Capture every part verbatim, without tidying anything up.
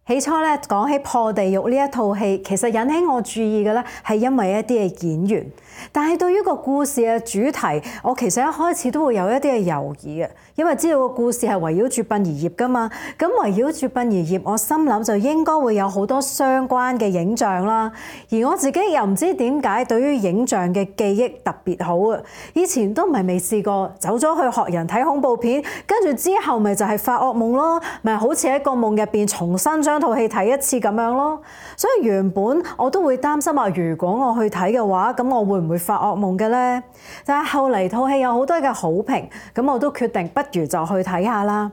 起初咧講起破地獄呢一套戲，其實引起我注意嘅咧係因為一啲嘅演員，但係對於個故事嘅主題，我其實一開始都會有一啲嘅猶豫嘅，因為知道個故事係圍繞住殯儀業㗎嘛，咁圍繞住殯儀業，我心諗就應該會有好多相關嘅影像啦，而我自己又唔知點解對於影像嘅記憶特別好啊！以前都唔係未試過走咗去學人睇恐怖片，跟住之後咪就係發噩夢咯，咪好似喺個夢入邊重新將套戲睇一次咁樣咯。所以原本我都會擔心話，如果我去睇嘅話，咁我會唔會發噩夢嘅呢？但係後嚟套戲有好多嘅好評，咁我都決定不如就去睇下啦。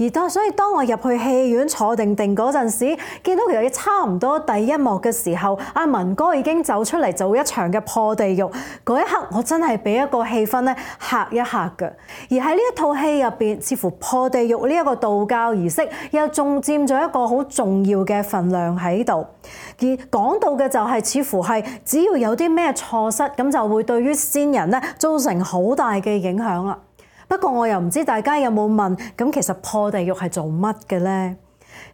而當所以當我入去戲院坐定定嗰陣時，見到其實差唔多第一幕嘅時候，阿文哥已經走出嚟做一場嘅破地獄。嗰一刻我真係俾一個氣氛咧嚇一嚇嘅。而喺呢一套戲入邊，似乎破地獄呢一個道教儀式又仲佔咗一個好重要嘅份量喺度。而講到嘅就係似乎係只要有啲咩錯失，咁就會對於先人咧造成好大嘅影響啦。不過我又唔知大家有冇問，咁其實破地獄係做乜嘅呢？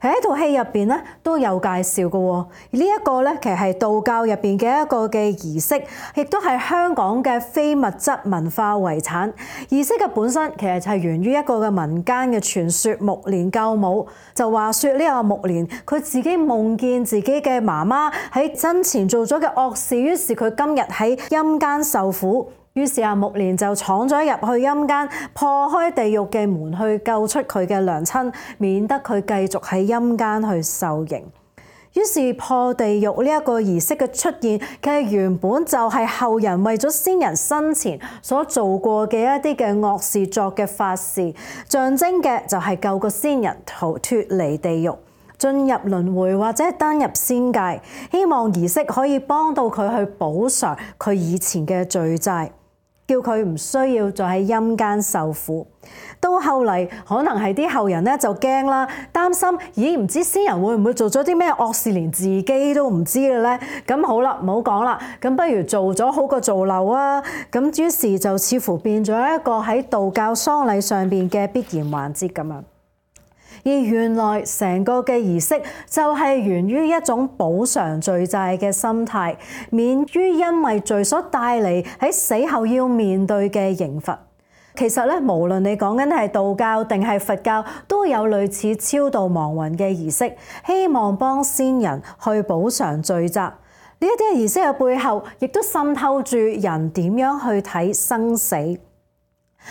喺一套戲入邊咧都有介紹嘅喎。呢一個咧其實係道教入邊嘅一個嘅儀式，亦都係香港嘅非物質文化遺產。儀式嘅本身其實係源於一個嘅民間嘅傳說，目連救母。就話說呢個目連佢自己夢見自己嘅媽媽喺生前做咗嘅惡事，於是佢今日喺陰間受苦。於是阿目連就闖咗入去陰間，破開地獄嘅門去救出佢嘅娘親，免得佢繼續喺陰間去受刑。於是破地獄呢一個儀式嘅出現，其實原本就係後人為咗先人生前所做過嘅一啲嘅惡事作嘅法事，象徵嘅就係救個先人逃脫離地獄，進入輪迴或者登入仙界，希望儀式可以幫到佢去補償佢以前嘅罪債，叫佢唔需要再喺陰間受苦。到後嚟可能係啲後人咧就驚啦，擔心咦唔知先人會唔會做咗啲咩惡事，連自己都唔知嘅咧？咁好啦，唔好講啦，咁不如做咗好過做漏啊！咁於是就似乎變咗一個喺道教喪禮上邊嘅必然環節咁樣。而原來成個嘅儀式就係源於一種補償罪債嘅心態，免於因為罪所帶嚟喺死後要面對嘅刑罰。其實咧，無論你講緊係道教定係佛教，都有類似超度亡魂嘅儀式，希望幫先人去補償罪責。呢一啲嘅儀式嘅背後，亦都滲透住人點樣去睇生死。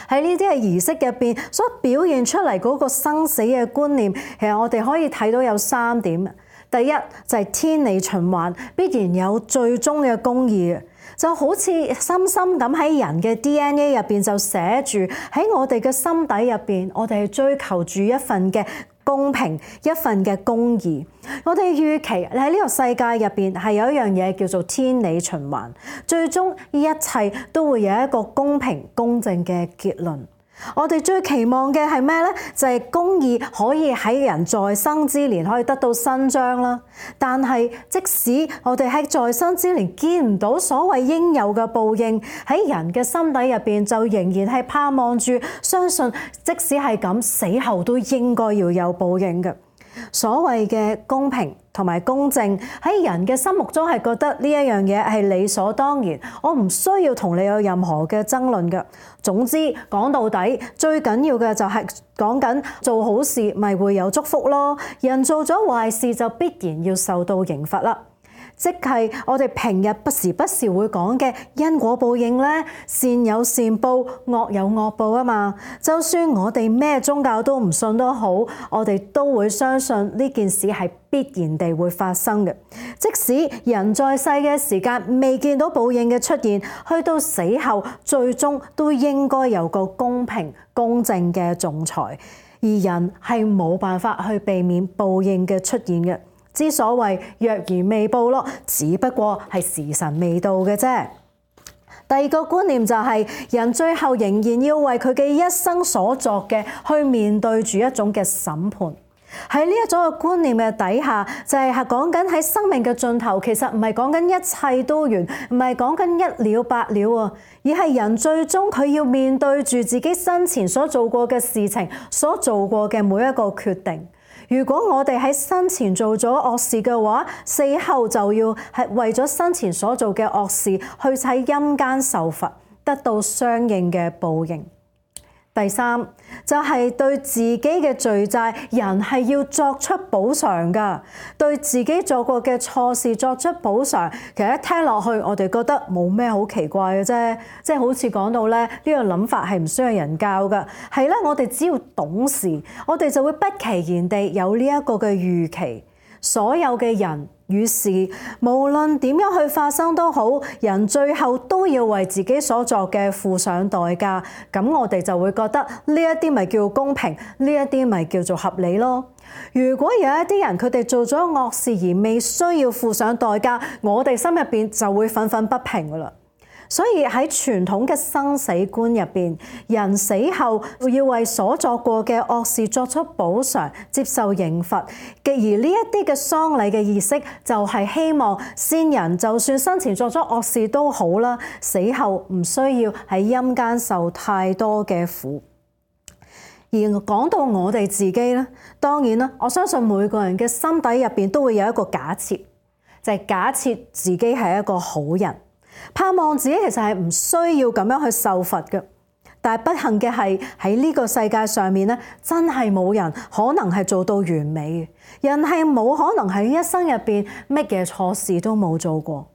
喺呢啲嘅儀式入邊所表現出嚟嗰個生死嘅觀念，其實我哋可以睇到有三點。第一就係天理循環，必然有最終嘅公義，就好似深深咁喺人嘅 D N A 入邊就寫住，喺我哋嘅心底入邊，我哋係追求住一份嘅公平，一份嘅公義。我哋預期喺呢個世界入邊係有一樣嘢叫做天理循環，最終一切都會有一個公平公正嘅結論。我哋最期望嘅係咩呢？就係公義可以喺人在生之年可以得到伸張啦。但係即使我哋喺在生之年見唔到所謂應有嘅報應，喺人嘅心底入邊就仍然係盼望住，相信即使係咁，死後都應該要有報應嘅。所謂嘅公平同埋公正喺人嘅心目中係覺得呢一樣嘢係理所當然，我唔需要同你有任何嘅爭論嘅。總之講到底，最緊要嘅就係講緊做好事咪會有祝福咯，人做咗壞事就必然要受到刑罰啦。即係我哋平日不時不時會講嘅因果報應咧，善有善報，惡有惡報啊嘛。就算我哋咩宗教都唔信都好，我哋都會相信呢件事係必然地會發生嘅。即使人在世嘅時間未見到報應嘅出現，去到死後最終都應該有個公平公正嘅仲裁，而人係冇辦法去避免報應嘅出現嘅。之所謂若然未報咯，只不過係時辰未到嘅啫。第二個觀念就係人最後仍然要為佢嘅一生所作嘅去面對住一種嘅審判。喺呢一種嘅觀念嘅底下，就係係講緊喺生命嘅盡頭，其實唔係講緊一切都完，唔係講緊一了百了啊，而係人最終佢要面對住自己生前所做過嘅事情，所做過嘅每一個決定。如果我哋喺生前做咗惡事嘅話，死後就要係為咗生前所做嘅惡事去喺陰間受罰，得到相應嘅報應。第三就係對自己嘅罪債，人係要作出補償㗎。對自己做過嘅錯事作出補償，其實一聽落去，我哋覺得冇咩好奇怪嘅啫。即係好似講到咧，呢個諗法係唔需要人教㗎。係咧，我哋只要懂事，我哋就會不其然地有呢一個嘅預期。所有嘅人與事，無論點樣去發生都好，人最後都要為自己所作嘅付上代價。咁我哋就會覺得呢一啲咪叫公平，呢一啲咪叫做合理咯。如果有一啲人佢哋做咗惡事而未需要付上代價，我哋心入邊就會憤憤不平噶啦。所以喺傳統嘅生死觀入邊，人死後要為所作過嘅惡事作出補償，接受刑罰。而呢一啲嘅喪禮嘅儀式，就係希望先人就算生前作咗惡事都好啦，死後唔需要喺陰間受太多嘅苦。而講到我哋自己咧，當然啦，我相信每個人嘅心底入邊都會有一個假設，就係假設自己係一個好人。盼望自己其實係唔需要咁樣去受罰嘅，但係不幸嘅係喺呢個世界上面咧，真係冇人可能係做到完美嘅。人係冇可能喺一生入邊乜嘢錯事都冇做過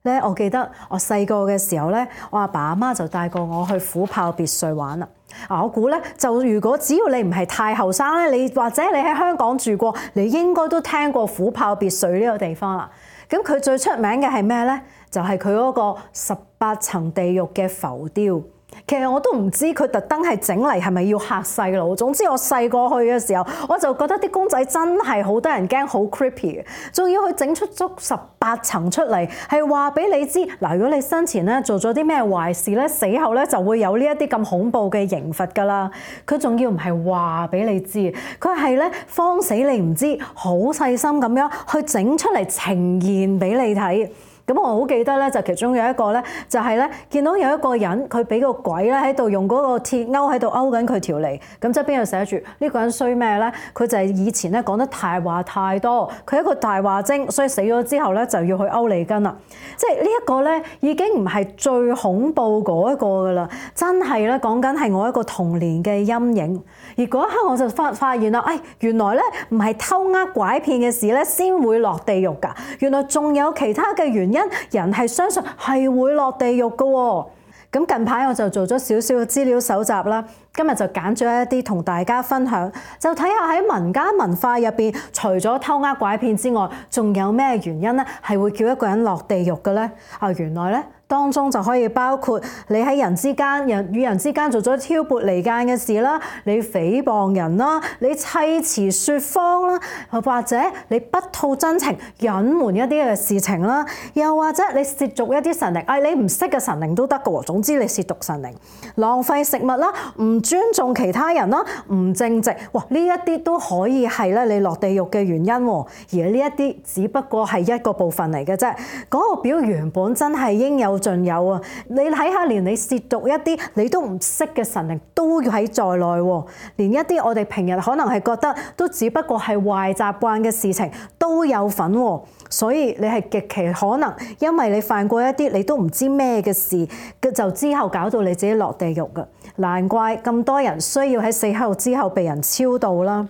咧。我記得我細個嘅時候咧，我阿爸阿媽就帶過我去虎豹別墅玩啦。啊，我估咧就如果只要你唔係太後生咧，你或者你喺香港住過，你應該都聽過虎豹別墅呢個地方啦。咁佢最出名嘅係咩咧？就係佢嗰個十八層地獄嘅浮雕。其實我都唔知佢特登係整嚟係咪要嚇細路。總之我細個去嘅時候，我就覺得啲公仔真係好得人驚，好 creepy 嘅。仲要佢整出足十八層出嚟，係話俾你知嗱，如果你生前咧做咗啲咩壞事咧，死後咧就會有呢一啲咁恐怖嘅刑罰㗎啦。佢仲要唔係話俾你知，佢係咧慌死你唔知，好細心咁樣去整出嚟呈現俾你睇。咁我好記得咧，就其中有一個咧，就係咧見到有一個人，佢俾個鬼咧喺度用嗰個鐵鈎喺度勾緊佢條脷。咁側邊又寫住呢個人衰咩咧？佢就係以前咧講得大話太多，佢係一個大話精，所以死咗之後咧就要去勾脷根啦。即係呢一個咧已經唔係最恐怖嗰一個噶啦，真係咧講緊係我一個童年嘅陰影。而嗰一刻我就發發現啦，哎，原來咧唔係偷呃拐騙嘅事咧先會落地獄㗎，原來仲有其他嘅原因。人係相信係會落地獄嘅喎。咁近排我就做咗少少嘅資料搜集啦，今日就揀咗一啲同大家分享，就睇下喺民間文化入邊，除咗偷呃拐騙之外，仲有咩原因咧係會叫一個人落地獄嘅咧？啊，原來咧當中就可以包括你喺人之間、人與人之間做咗挑撥離間嘅事啦，你誹謗人啦，你砌詞説謊啦，或者你不吐真情、隱瞞一啲嘅事情啦，又或者你褻瀆一啲神靈，哎，你唔識嘅神靈都得嘅喎。總之你褻瀆神靈、浪費食物啦、唔尊重其他人啦、唔正直，哇！呢一啲都可以係咧你落地獄嘅原因喎。而呢一啲只不過係一個部分嚟嘅啫，嗰個表原本真係應有盡有啊！你睇下，連你褻瀆一啲你都唔識嘅神靈都要喺在內喎，連一啲我哋平日可能係覺得都只不過係壞習慣嘅事情都有份喎。所以你係極其可能，因為你犯過一啲你都唔知咩嘅事，就之後搞到你自己落地獄㗎。難怪咁多人需要喺死後之後被人超度啦。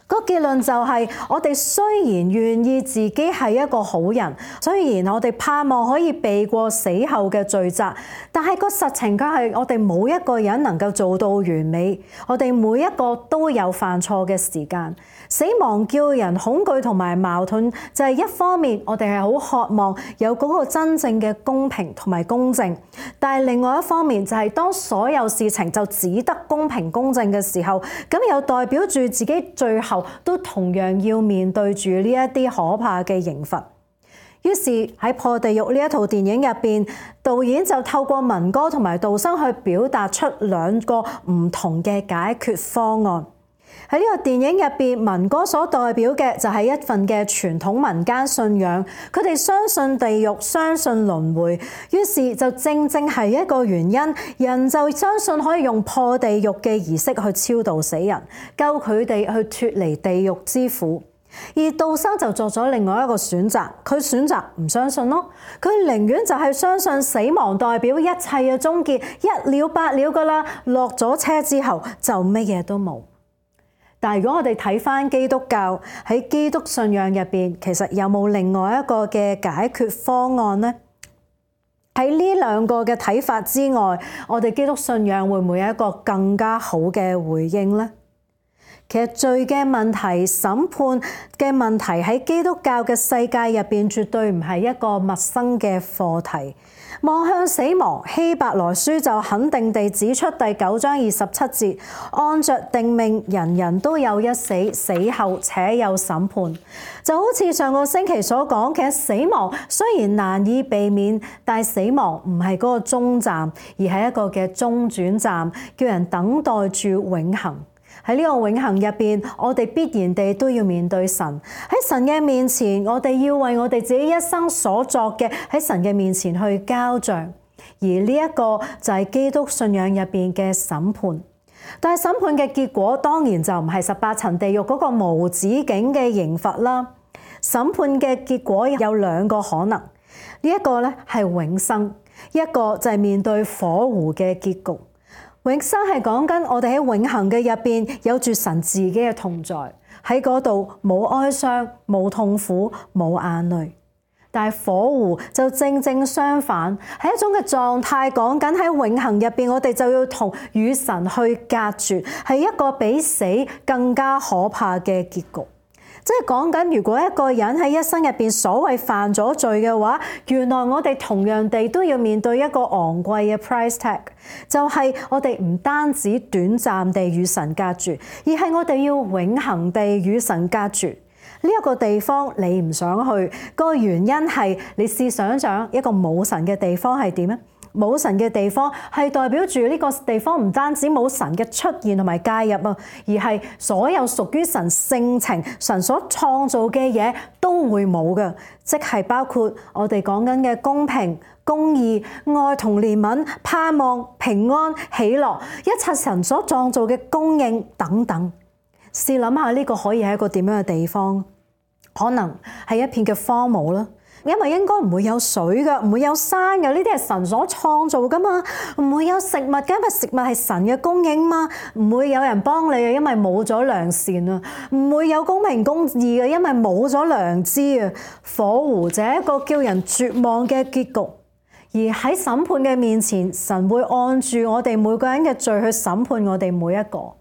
個結論就係，我哋雖然願意自己係一個好人，雖然我哋盼望可以避過死後嘅罪責，但係個實情卻係我哋冇一個人能夠做到完美。我哋每一個都有犯錯嘅時間。死亡叫人恐懼同埋矛盾，就係一方面我哋係好渴望有嗰個真正嘅公平同埋公正，但係另外一方面就係當所有事情就只得公平公正嘅時候，咁又代表住自己最後都同樣要面對住呢一啲可怕嘅刑罰。於是喺破地獄呢一套電影入邊，導演就透過民歌同埋道生去表達出兩個唔同嘅解決方案。喺呢個電影入邊，民歌所代表嘅就係一份嘅傳統民間信仰，佢哋相信地獄，相信輪迴，於是就正正係一個原因，人就相信可以用破地獄嘅儀式去超度死人，救佢哋去脫離地獄之苦。而道生就作咗另外一個選擇，佢選擇唔相信咯，佢寧願就係相信死亡代表一切嘅終結，一了百了噶啦，落咗車之後就乜嘢都冇。但係如果我哋睇返基督教，喺基督信仰入邊，其實有冇另外一個嘅解決方案呢？喺呢兩個嘅睇法之外，我哋基督信仰會唔會有一個更加好嘅回應呢？其實罪嘅問題、審判嘅問題喺基督教嘅世界入邊，絕對唔係一個陌生嘅課題。望向死亡，希伯來書就肯定地指出第九章二十七節，按着定命，人人都有一死，死後且有審判。就好似上個星期所講，其實死亡雖然難以避免，但係死亡唔係嗰個終站，而係一個嘅中轉站，叫人等待住永恆。喺呢個永恆入邊，我哋必然地都要面對神。喺神嘅面前，我哋要為我哋自己一生所作嘅喺神嘅面前去交賬。而呢一個就係基督信仰入邊嘅審判。但係審判嘅結果當然就唔係十八層地獄嗰個無止境嘅刑罰啦。審判嘅結果有兩個可能，呢一個咧係永生，一個就係面對火湖嘅結局。永生係講緊我哋喺永恆嘅入邊有住神自己嘅同在，喺嗰度冇哀傷、冇痛苦、冇眼淚。但係火湖就正正相反，係一種嘅狀態，講緊喺永恆入邊，我哋就要同與神去隔絕，係一個比死更加可怕嘅結局。即係講緊，如果一個人喺一生入邊所謂犯咗罪嘅話，原來我哋同樣地都要面對一個昂貴嘅 price tag， 就係我哋唔單止短暫地與神隔絕，而係我哋要永恆地與神隔絕。呢一個地方你唔想去，個原因係你試想想一個冇神嘅地方係點咧？冇神嘅地方係代表住呢個地方唔單止冇神嘅出現同埋介入啊，而係所有屬於神性情、神所創造嘅嘢都會冇嘅，即係包括我哋講緊嘅公平、公義、愛同憐憫、盼望、平安、喜樂，一切神所創造嘅供應等等。試諗下呢個可以係一個點樣嘅地方？可能係一片嘅荒蕪啦。因為應該唔會有水㗎，唔會有山㗎，呢啲係神所創造㗎嘛，唔會有食物㗎，因為食物係神嘅供應嘛，唔會有人幫你嘅，因為冇咗良善啊，唔會有公平公義嘅，因為冇咗良知啊。火湖就係一個叫人絕望嘅結局，而喺審判嘅面前，神會按住我哋每個人嘅罪去審判我哋每一個。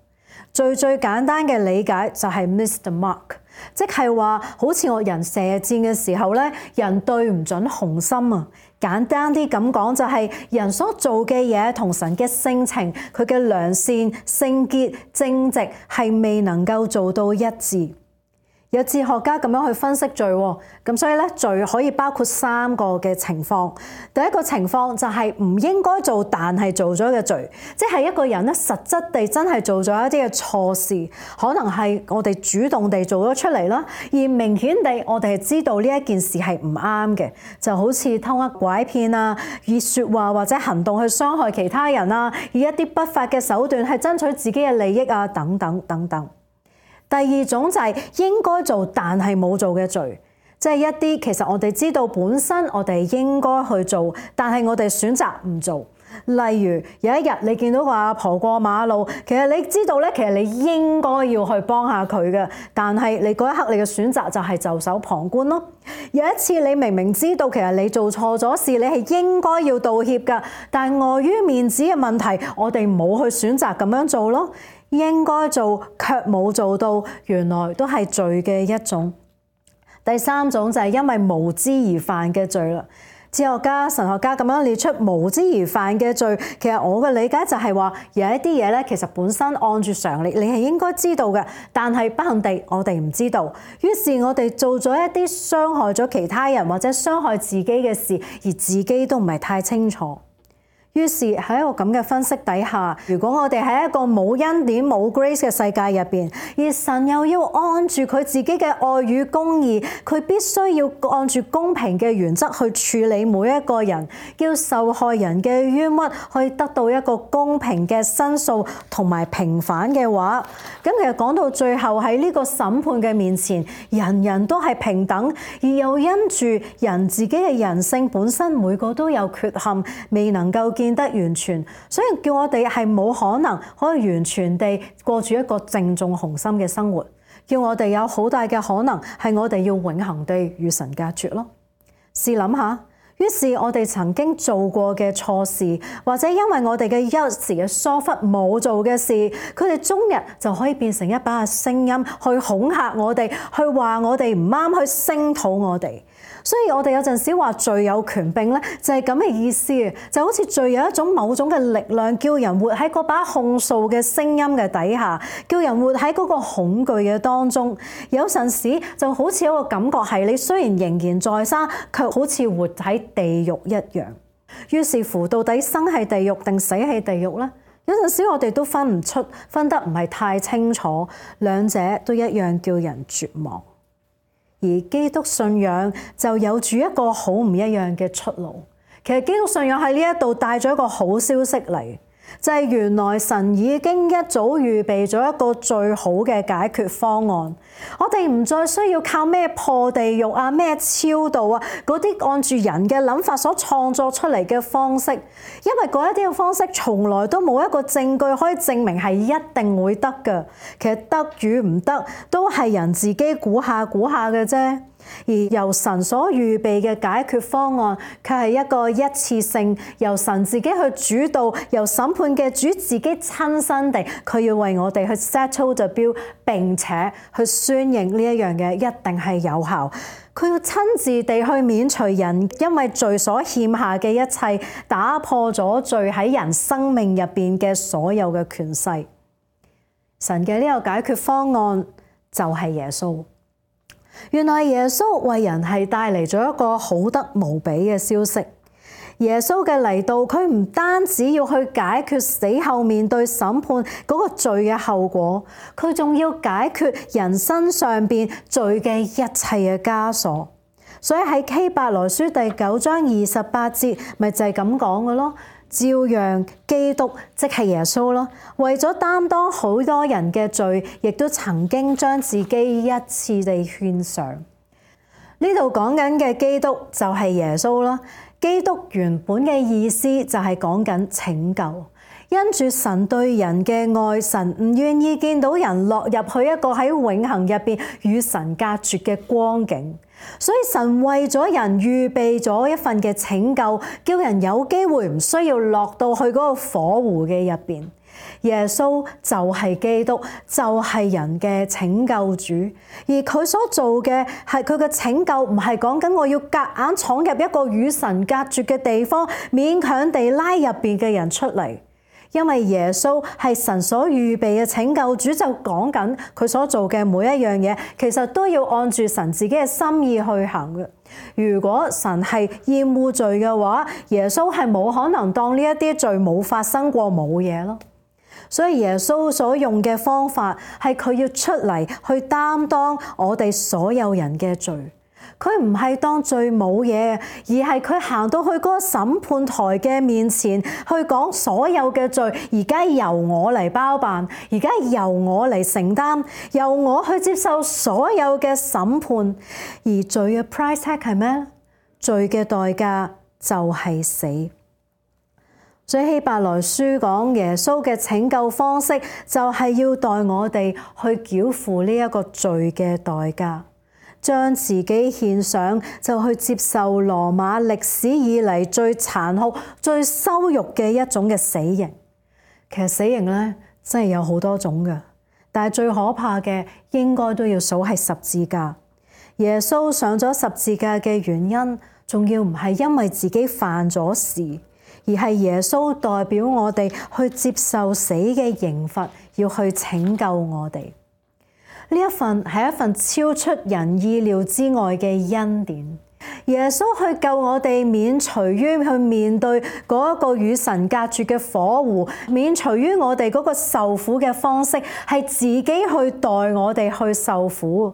最最簡單嘅理解就係 miss the mark， 即係話好似我人射箭嘅時候咧，人對唔準紅心啊。簡單啲咁講就係人所做嘅嘢同神嘅性情、佢嘅良善、聖潔、正直係未能夠做到一致。有哲學家咁樣去分析罪，咁所以咧罪可以包括三個嘅情況。第一個情況就係唔應該做但係做咗嘅罪，即係一個人咧實質地真係做咗一啲嘅錯事，可能係我哋主動地做咗出嚟啦，而明顯地我哋係知道呢一件事係唔啱嘅，就好似偷呃拐騙啊，以説話或者行動去傷害其他人啊，以一啲不法嘅手段係爭取自己嘅利益啊，等等等等。第二種就係應該做但係冇做嘅罪，即係一啲其實我哋知道本身我哋應該去做，但係我哋選擇唔做。例如有一日你見到個阿婆過馬路，其實你知道咧，其實你應該要去幫下佢嘅，但係你嗰一刻你嘅選擇就係袖手旁觀咯。有一次你明明知道其實你做錯咗事，你係應該要道歉㗎，但係礙於面子嘅問題，我哋冇去選擇咁樣做咯。應該做卻冇做到，原來都係罪嘅一種。第三種就係因為無知而犯嘅罪啦。哲學家、神學家咁樣列出無知而犯嘅罪，其實我嘅理解就係話有一啲嘢咧，其實本身按住常理你係應該知道嘅，但係不幸地我哋唔知道，於是我哋做咗一啲傷害咗其他人或者傷害自己嘅事，而自己都唔係太清楚。於是喺一個咁嘅分析底下，如果我哋喺一個冇恩典冇 grace 嘅世界入邊，而神又要按住佢自己嘅愛與公義，佢必須要按住公平嘅原則去處理每一個人，叫受害人嘅冤屈可以得到一個公平嘅申訴同埋平反嘅話，咁其實講到最後喺呢個審判嘅面前，人人都係平等，而又因住人自己嘅人性本身每個都有缺陷，未能夠見得完全，所以叫我哋係冇可能可以完全地過住一個正中紅心嘅生活，叫我哋有好大嘅可能係我哋要永恆地與神隔絕咯。試諗下，於是我哋曾經做過嘅錯事，或者因為我哋嘅一時嘅疏忽冇做嘅事，佢哋終日就可以變成一把聲音去恐嚇我哋，去話我哋唔啱，去聲討我哋。所以我哋有陣時話罪有權柄咧，就係咁嘅意思，就好似罪有一種某種嘅力量，叫人活喺嗰把控訴嘅聲音嘅底下，叫人活喺嗰個恐懼嘅當中。有陣時就好似一個感覺係，你雖然仍然在生，卻好似活喺地獄一樣。於是乎，到底生係地獄定死係地獄呢？有陣時我哋都分唔出，分得唔係太清楚，兩者都一樣叫人絕望。而基督信仰就有住一個好唔一樣嘅出路。其實基督信仰喺呢一度帶咗一個好消息嚟，就係原來神已經一早預備咗一個最好嘅解決方案。我哋唔再需要靠咩破地獄啊、咩超度啊嗰啲按住人嘅諗法所創作出嚟嘅方式，因為嗰一啲嘅方式從來都冇一個證據可以證明係一定會得嘅。其實得與唔得都係人自己估下估下嘅啫。而由神所預備嘅解決方案，卻係一個一次性由神自己去主導，由審判嘅主自己親身地，佢要為我哋去 settle the bill，並且去宣認呢一樣嘢一定係有效。佢要親自地去免除人因為罪所欠下嘅一切，打破咗罪喺人生命入邊嘅所有嘅權勢。神嘅呢個解決方案就係耶穌。原來耶穌為人係帶嚟咗一個好得無比嘅消息。耶穌嘅嚟到，佢唔單止要去解決死後面對審判嗰個罪嘅後果，佢仲要解決人身上邊罪嘅一切嘅枷鎖。所以喺希伯來書第九章二十八節，咪就係咁講嘅咯。照樣基督即係耶穌咯，為咗擔當好多人嘅罪，亦都曾經將自己一次地獻上。呢度講緊嘅基督就係耶穌啦。基督原本嘅意思就係講緊拯救。因住神對人嘅愛，神唔願意見到人落入去一個喺永恆入邊與神隔絕嘅光景，所以神為咗人預備咗一份嘅拯救，叫人有機會唔需要落到去嗰個火湖嘅入邊。耶穌就係基督，就係人嘅拯救主，而佢所做嘅係佢嘅拯救，唔係講緊我要夾硬闖入一個與神隔絕嘅地方，勉強地拉入邊嘅人出嚟。因為耶穌係神所預備嘅拯救主，就講緊佢所做嘅每一樣嘢，其實都要按住神自己嘅心意去行嘅。如果神係厭惡罪嘅話，耶穌係冇可能當呢一啲罪冇發生過冇嘢咯。所以耶穌所用嘅方法係佢要出嚟去擔當我哋所有人嘅罪。佢唔係當罪冇嘢，而係佢行到去嗰個審判台嘅面前，去講所有嘅罪，而家由我嚟包辦，而家由我嚟承擔，由我去接受所有嘅審判。而罪嘅 price tag 係咩？罪嘅代價就係死。所以希伯來書講耶穌嘅拯救方式，就係要代我哋去繳付呢一個罪嘅代價。將自己獻上，就去接受羅馬歷史以嚟最殘酷、最羞辱嘅一種嘅死刑。其實死刑咧真係有好多種嘅，但係最可怕嘅應該都要數係十字架。耶穌上咗十字架嘅原因，仲要唔係因為自己犯咗事，而係耶穌代表我哋去接受死嘅刑罰，要去拯救我哋。呢一份係一份超出人意料之外嘅恩典，耶穌去救我哋免除於去面對嗰一個與神隔絕嘅火湖，免除於我哋嗰個受苦嘅方式係自己去代我哋去受苦。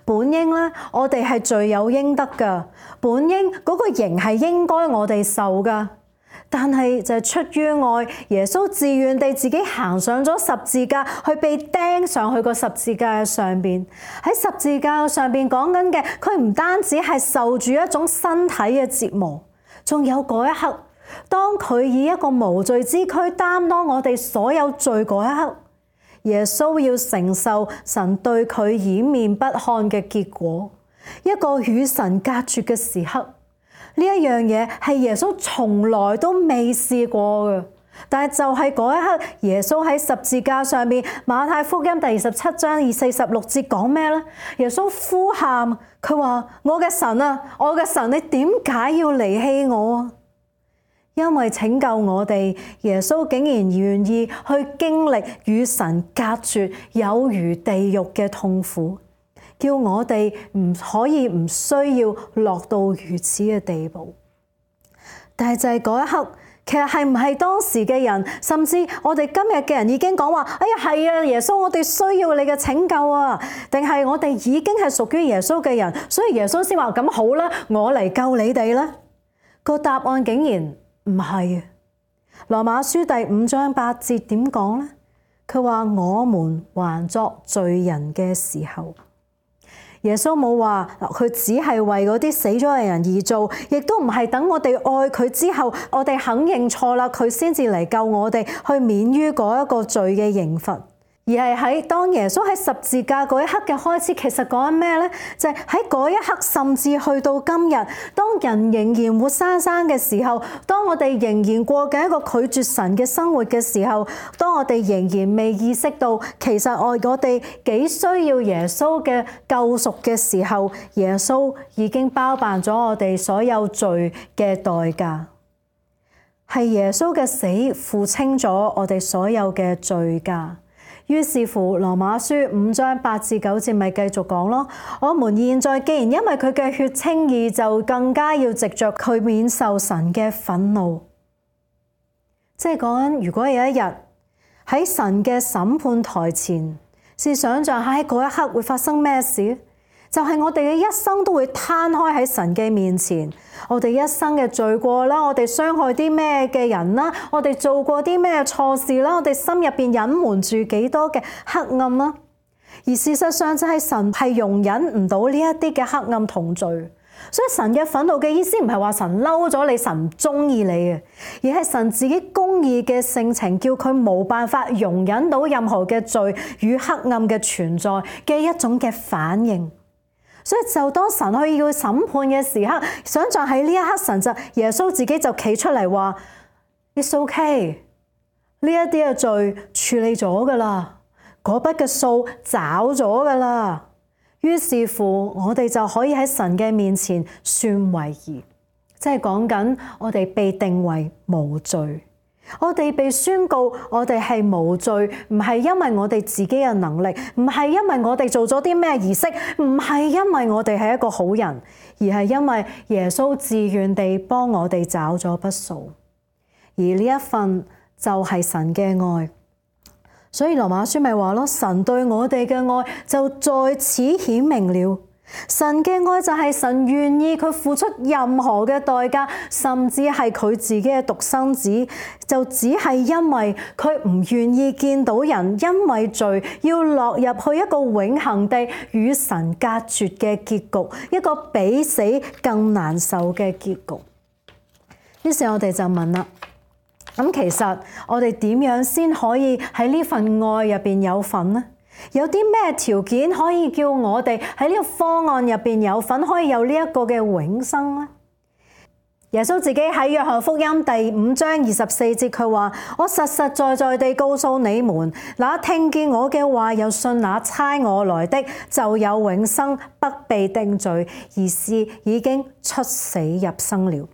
本應咧，我哋係罪有應得噶，本應嗰個刑係應該我哋受噶。但係就係出於愛，耶穌自願地自己行上咗十字架，去被釘上去個十字架上邊。喺十字架上邊講緊嘅，佢唔單止係受住一種身體嘅折磨，仲有嗰一刻，當佢以一個無罪之軀擔當我哋所有罪嗰一刻，耶穌要承受神對佢掩面不看嘅結果，一個與神隔絕嘅時刻。呢一樣嘢係耶穌從來都未試過嘅，但係就係嗰一刻，耶穌喺十字架上面，馬太福音第二十七章二四十六節講咩呢？耶穌呼喊，佢話：我嘅神啊，我嘅神，你點解要離棄我啊？因為拯救我哋，耶穌竟然願意去經歷與神隔絕有如地獄嘅痛苦。叫我哋唔可以唔需要落到如此嘅地步，但係就係嗰一刻，其實係唔係當時嘅人，甚至我哋今日嘅人已經講話：哎呀，係啊，耶穌，我哋需要你嘅拯救啊！定係我哋已經係屬於耶穌嘅人，所以耶穌先話：咁好啦，我嚟救你哋啦。個答案竟然唔係啊！羅馬書第五章八節點講呢？佢話：我們還作罪人嘅時候。耶穌冇話佢只係為嗰啲死咗嘅人而做，亦都唔係等我哋愛佢之後，我哋肯認錯啦，佢先至嚟救我哋，去免於嗰一個罪嘅刑罰。而係喺當耶穌喺十字架嗰一刻嘅開始，其實講緊咩呢？就係喺嗰一刻，甚至去到今日，當人仍然活生生嘅時候，當我哋仍然過緊一個拒絕神嘅生活嘅時候，當我哋仍然未意識到其實我我哋幾需要耶穌嘅救贖嘅時候，耶穌已經包辦咗我哋所有罪嘅代價，係耶穌嘅死付清咗我哋所有嘅罪價。於是乎，羅馬書五章八至九節咪繼續講咯。我們現在既然因為佢嘅血稱義，就更加要藉着佢免受神嘅憤怒。即係講緊，如果有一日喺神嘅審判台前，試想像下喺嗰一刻會發生咩事？就係我哋嘅一生都會攤開喺神嘅面前，我哋一生嘅罪過啦，我哋傷害啲咩嘅人啦，我哋做過啲咩錯事啦，我哋心入邊隱瞞住幾多嘅黑暗啦。而事實上就係神係容忍唔到呢一啲嘅黑暗同罪，所以神嘅憤怒嘅意思唔係話神嬲咗你，神唔中意你嘅，而係神自己公義嘅性情，叫佢冇辦法容忍到任何嘅罪與黑暗嘅存在嘅一種嘅反應。所以就當神去要審判嘅時刻，想像喺呢一刻，神就耶穌自己就企出嚟話 It's okay， 呢一啲嘅罪處理咗噶啦，嗰筆嘅數找咗噶啦。於是乎，我哋就可以喺神嘅面前算為義，即係講緊我哋被定為無罪。我哋被宣告我哋係無罪，唔係因為我哋自己嘅能力，唔係因為我哋做咗啲咩儀式，唔係因為我哋係一個好人，而係因為耶穌自願地幫我哋找咗筆數，而呢一份就係神嘅愛。所以羅馬書咪話咯，神對我哋嘅愛就在此顯明了。神嘅愛就係神願意佢付出任何嘅代價，甚至係佢自己嘅獨生子，就只係因為佢唔願意見到人因為罪要落入去一個永恆地與神隔絕嘅結局，一個比死更難受嘅結局。於是我哋就問啦，咁其實我哋點樣先可以喺呢份愛入邊有份呢？有啲咩條件可以叫我哋喺呢個方案入邊有份，可以有呢一個嘅永生呢？耶穌自己喺約翰福音第五章二十四節佢話：我實實在在地告訴你們，那聽見我嘅話又信那差我來的，就有永生，不被定罪，而是已經出死入生了。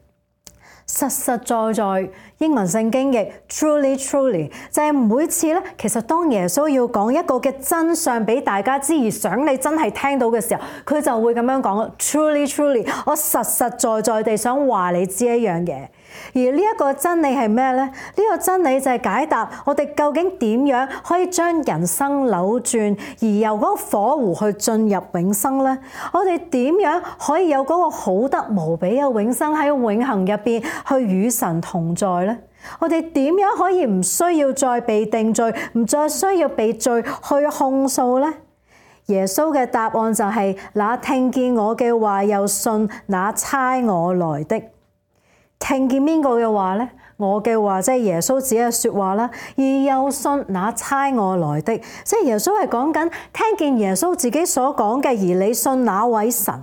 實實在在，英文聖經譯 truly truly 就係每次咧，其實當耶穌要講一個嘅真相俾大家知，而想你真係聽到嘅時候，佢就會咁樣講 truly truly， 我實實在在地想話你知一樣嘢。而呢一個真理係咩呢？呢、呢個真理就係解答我哋究竟點樣可以將人生扭轉，而由嗰個火湖去進入永生呢？我哋點樣可以有嗰個好得無比嘅永生喺永恆入邊去與神同在呢？我哋點樣可以唔需要再被定罪，唔再需要被罪去控訴呢？耶穌嘅答案就係、是：那聽見我嘅話又信那差我來的。聽見邊個嘅話呢？我嘅話即係耶穌自己嘅說話啦，而又信那差我來的，即係耶穌係講緊聽見耶穌自己所講嘅，而你信那位神，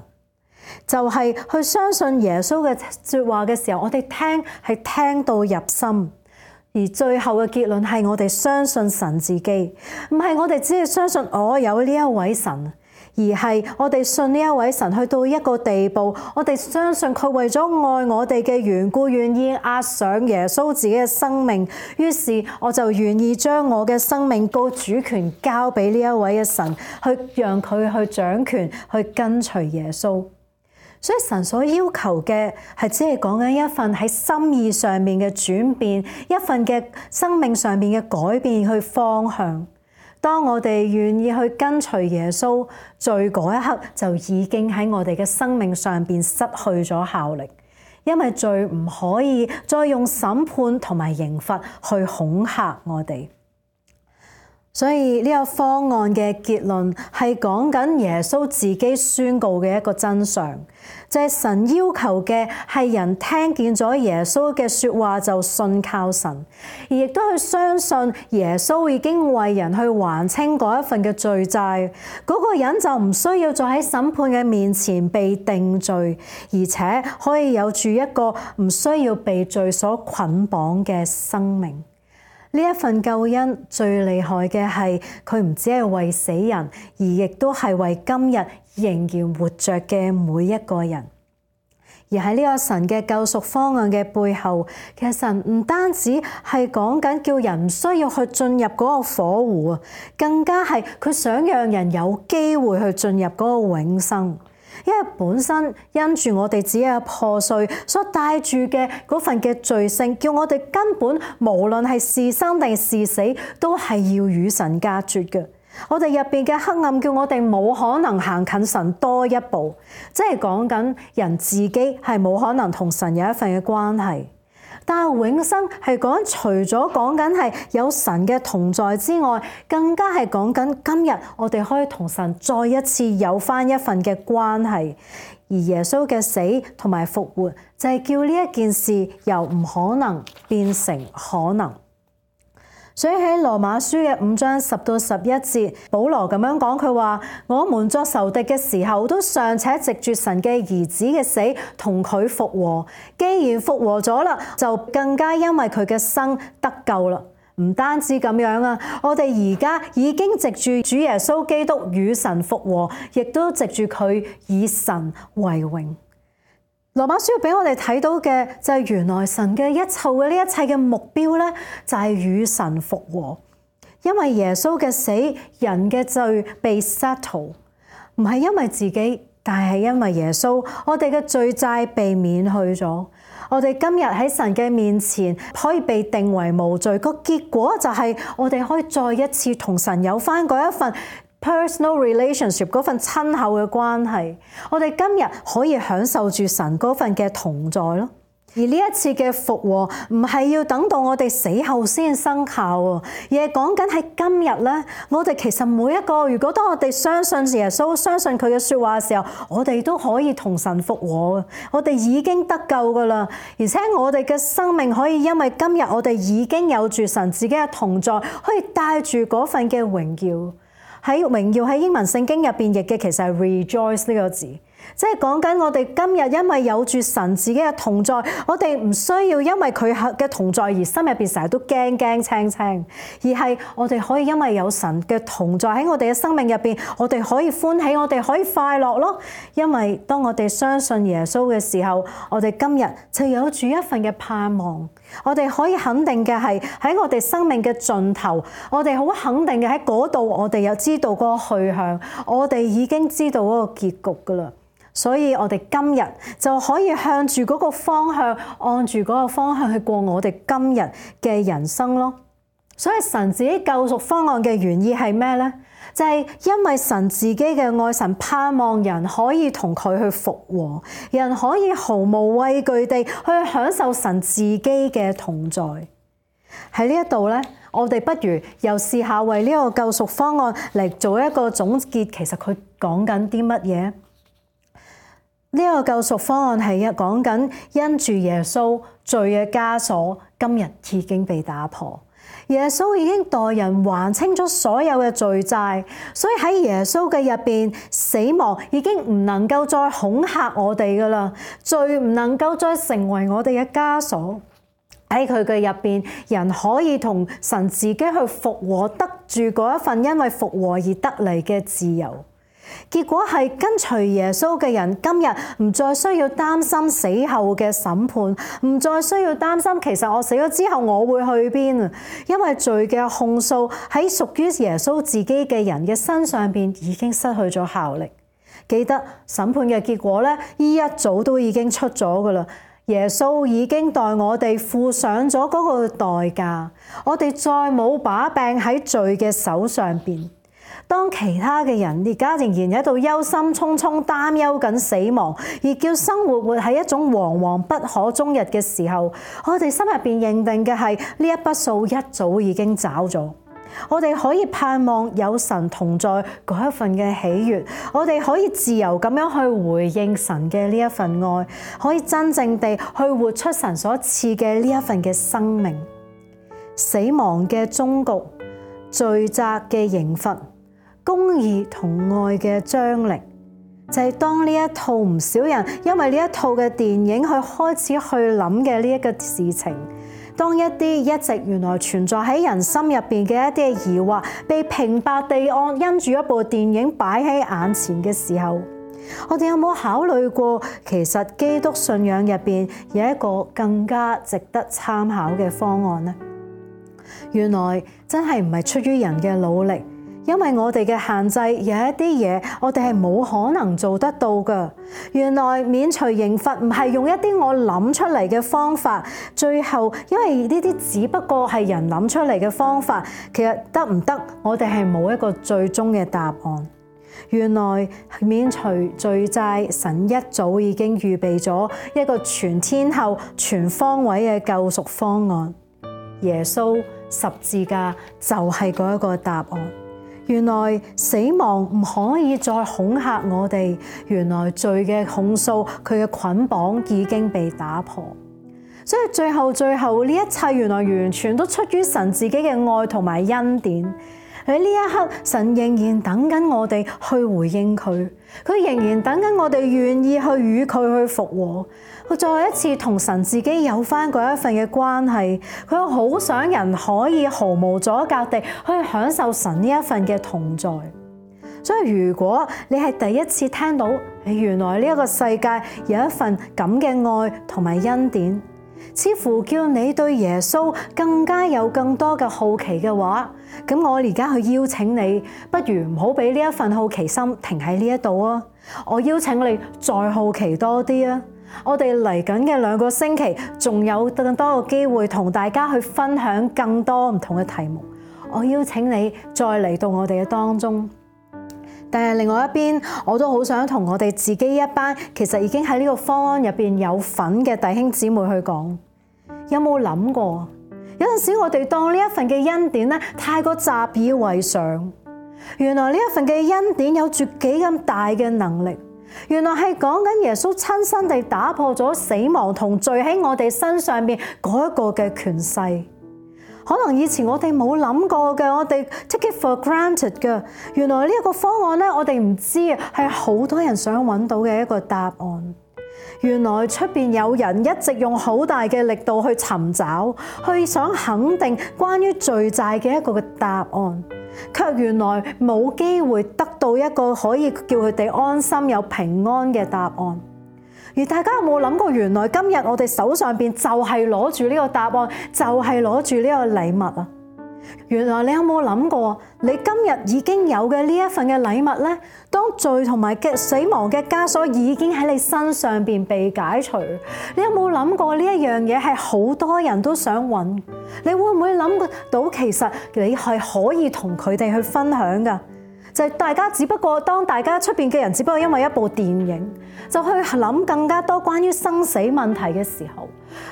就係、是、去相信耶穌嘅說話嘅時候，我哋聽係聽到入心，而最後嘅結論係我哋相信神自己，唔係我哋只係相信我有呢一位神。而係我哋信呢一位神去到一個地步，我哋相信佢為咗愛我哋嘅緣故，願意押上耶穌自己嘅生命。於是我就願意將我嘅生命個主權交俾呢一位嘅神，去讓佢去掌權，去跟隨耶穌。所以神所要求嘅係只係講緊一份喺心意上面嘅轉變，一份嘅生命上面嘅改變去方向。當我哋願意去跟隨耶穌，罪嗰一刻就已經喺我哋嘅生命上邊失去咗效力，因為罪唔可以再用審判同埋刑罰去恐嚇我哋。所以呢個方案嘅結論係講緊耶穌自己宣告嘅一個真相，就係神要求嘅係人聽見咗耶穌嘅說話就信靠神，而亦都去相信耶穌已經為人去還清嗰一份嘅罪債，嗰個人就唔需要再喺審判嘅面前被定罪，而且可以有住一個唔需要被罪所捆綁嘅生命。呢一份救恩最厲害嘅係佢唔只係為死人，而亦都係為今日仍然活着嘅每一個人。而喺呢個神嘅救贖方案嘅背後，其實神唔單止係講緊叫人唔需要去進入嗰個火湖啊，更加係佢想讓人有機會去進入嗰個永生。因為本身因住我哋自己嘅破碎所帶住嘅嗰份嘅罪性，叫我哋根本無論係是生定是死，都係要與神隔絕嘅。我哋入邊嘅黑暗，叫我哋冇可能行近神多一步，即係講緊人自己係冇可能同神有一份嘅關係。但係永生係講除咗講緊係有神嘅同在之外，更加係講緊今日我哋可以同神再一次有返一份嘅關係。而耶穌嘅死同埋復活就係叫呢一件事由唔可能變成可能。所以喺羅馬書嘅五章十到十一節，保羅咁樣講，佢話：我們作仇敵嘅時候，都尚且藉住神嘅兒子嘅死同佢復和。既然復和咗啦，就更加因為佢嘅生得救啦。唔單止咁樣啊，我哋而家已經藉住主耶穌基督與神復和，亦都藉住佢以神為榮。羅馬書俾我哋睇到嘅就係原來神嘅一切嘅呢一切嘅目標咧，就係與神復和。因為耶穌嘅死，人嘅罪被 settle， 唔係因為自己，但係因為耶穌，我哋嘅罪債被免去咗。我哋今日喺神嘅面前可以被定為無罪，個結果就係我哋可以再一次同神有翻嗰一份personal relationship， 嗰份親厚嘅關係，我哋今日可以享受住神嗰份嘅同在咯。而呢一次嘅復和唔係要等到我哋死後先生效喎，而係講緊喺今日咧，我哋其實每一個，如果當我哋相信耶穌、相信佢嘅說話嘅時候，我哋都可以同神復和，我哋已經得救噶啦，而且我哋嘅生命可以因為今日我哋已經有住神自己嘅同在，可以帶住嗰份嘅榮耀。喺榮耀喺英文聖經入邊譯嘅其實係 rejoice 呢個字，即係講緊我哋今日因為有住神自己嘅同在，我哋唔需要因為佢嘅同在而心入邊成日都驚驚青青，而係我哋可以因為有神嘅同在喺我哋嘅生命入邊，我哋可以歡喜，我哋可以快樂咯。因為當我哋相信耶穌嘅時候，我哋今日就有住一份嘅盼望。我哋可以肯定嘅係喺我哋生命嘅盡頭，我哋好肯定嘅喺嗰度，我哋有知道嗰個去向，我哋已經知道嗰個結局噶啦。所以我哋今日就可以向住嗰個方向，按住嗰個方向去過我哋今日嘅人生咯。所以神自己救贖方案嘅原意係咩呢？就係因為神自己嘅愛，神盼望人可以同佢去復和，人可以毫無畏懼地去享受神自己嘅同在。喺呢一度呢，我哋不如又試下為呢個救贖方案嚟做一個總結。其實佢講緊啲乜嘢？呢個救贖方案係講緊因住耶穌罪嘅枷鎖，今日已經被打破。耶穌已經代人還清咗所有嘅罪債，所以喺耶穌嘅入邊，死亡已經唔能夠再恐嚇我哋噶啦，罪唔能夠再成為我哋嘅枷鎖。喺佢嘅入邊，人可以同神自己去復和，得住嗰一份因為復和而得嚟嘅自由。結果係跟隨耶穌嘅人，今日唔再需要擔心死後嘅審判，唔再需要擔心其實我死咗之後我會去邊啊！因為罪嘅控訴喺屬於耶穌自己嘅人嘅身上邊已經失去咗效力。記得審判嘅結果咧，依一早都已經出咗噶啦。耶穌已經代我哋付上咗嗰個代價，我哋再冇把柄喺罪嘅手上邊。當其他嘅人而家仍然喺度憂心忡忡擔憂緊死亡，而叫生活活喺一種惶惶不可終日嘅時候，我哋心入邊認定嘅係呢一筆數一早已經找咗。我哋可以盼望有神同在嗰一份嘅喜悅，我哋可以自由咁樣去回應神嘅呢一份愛，可以真正地去活出神所賜嘅呢一份嘅生命。死亡嘅終局，罪責嘅刑罰，公義同愛嘅張力，就係當呢一套唔少人因為呢一套嘅電影去開始去諗嘅呢一個事情。當一啲一直原來存在喺人心入邊嘅一啲疑惑，被平白地按因住一部電影擺喺眼前嘅時候，我哋有冇考慮過，其實基督信仰入邊有一個更加值得參考嘅方案呢？原來真係唔係出於人嘅努力。因為我哋嘅限制，有一啲嘢我哋係冇可能做得到㗎。原來免除刑罰唔係用一啲我諗出嚟嘅方法，最後因為呢啲只不過係人諗出嚟嘅方法，其實得唔得，我哋係冇一個最終嘅答案。原來免除罪債，神一早已經預備咗一個全天候、全方位嘅救贖方案。耶穌十字架就係嗰一個答案。原來死亡唔可以再恐嚇我哋，原來罪嘅控訴，佢嘅捆綁已經被打破。所以最後最後呢一切原來完全都出於神自己嘅愛同埋恩典。喺呢一刻，神仍然等緊我哋去回應佢，佢仍然等緊我哋願意去與佢去復和，佢再一次同神自己有翻嗰一份嘅關係。佢好想人可以毫無阻隔地去享受神呢一份嘅同在。所以如果你係第一次聽到，原來呢一個世界有一份咁嘅愛同埋恩典，似乎叫你對耶穌更加有更多嘅好奇嘅話，咁我而家去邀請你，不如唔好俾呢一份好奇心停喺呢一度啊！我邀請你再好奇多啲啊！我哋嚟緊嘅兩個星期，仲有更多嘅機會同大家去分享更多唔同嘅題目。我邀請你再嚟到我哋嘅當中。但係另外一邊，我都好想同我哋自己一班其實已經喺呢個方案入邊有份嘅弟兄姊妹去講，有冇諗過？有陣時我哋當呢一份嘅恩典咧，太過習以為常。原來呢一份嘅恩典有住幾咁大嘅能力。原來係講緊耶穌親身地打破咗死亡同罪喺我哋身上邊嗰一個嘅權勢。可能以前我哋冇諗過嘅，我哋 take it for granted 嘅。原來呢一個方案咧，我哋唔知啊，係好多人想揾到嘅一個答案。原來出邊有人一直用好大嘅力度去尋找，去想肯定關於罪債嘅一個嘅答案，卻原來冇機會得到一個可以叫佢哋安心有平安嘅答案。而大家有冇諗過，原來今日我哋手上邊就係攞住呢個答案，就係攞住呢個禮物啊！原來你有冇諗過，你今日已經有嘅呢一份嘅禮物呢？當罪同埋嘅死亡嘅枷鎖已經喺你身上邊被解除，你有冇諗過呢一樣嘢係好多人都想揾？你會唔會諗到其實你係可以同佢哋去分享㗎？就係大家只不過當大家出邊嘅人只不過因為一部電影，就去諗更加多關於生死問題嘅時候，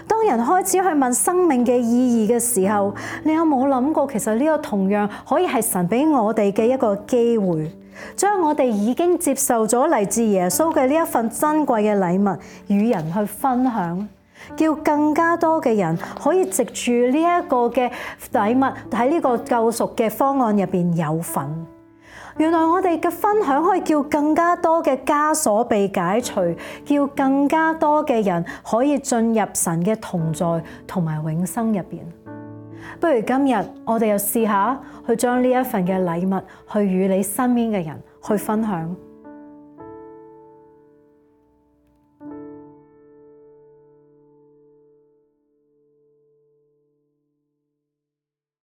當人開始去問生命嘅意義嘅時候，你有冇諗過其實呢個同樣可以係神俾我哋嘅一個機會，將我哋已經接受咗嚟自耶穌嘅呢一份珍貴嘅禮物與人去分享，叫更加多嘅人可以藉住呢一個嘅禮物喺呢個救贖嘅方案入邊有份。原來我哋嘅分享可以叫更加多嘅枷鎖被解除，叫更加多嘅人可以進入神嘅同在同埋永生入邊。不如今日我哋又試下去將呢一份嘅禮物去與你身邊嘅人去分享。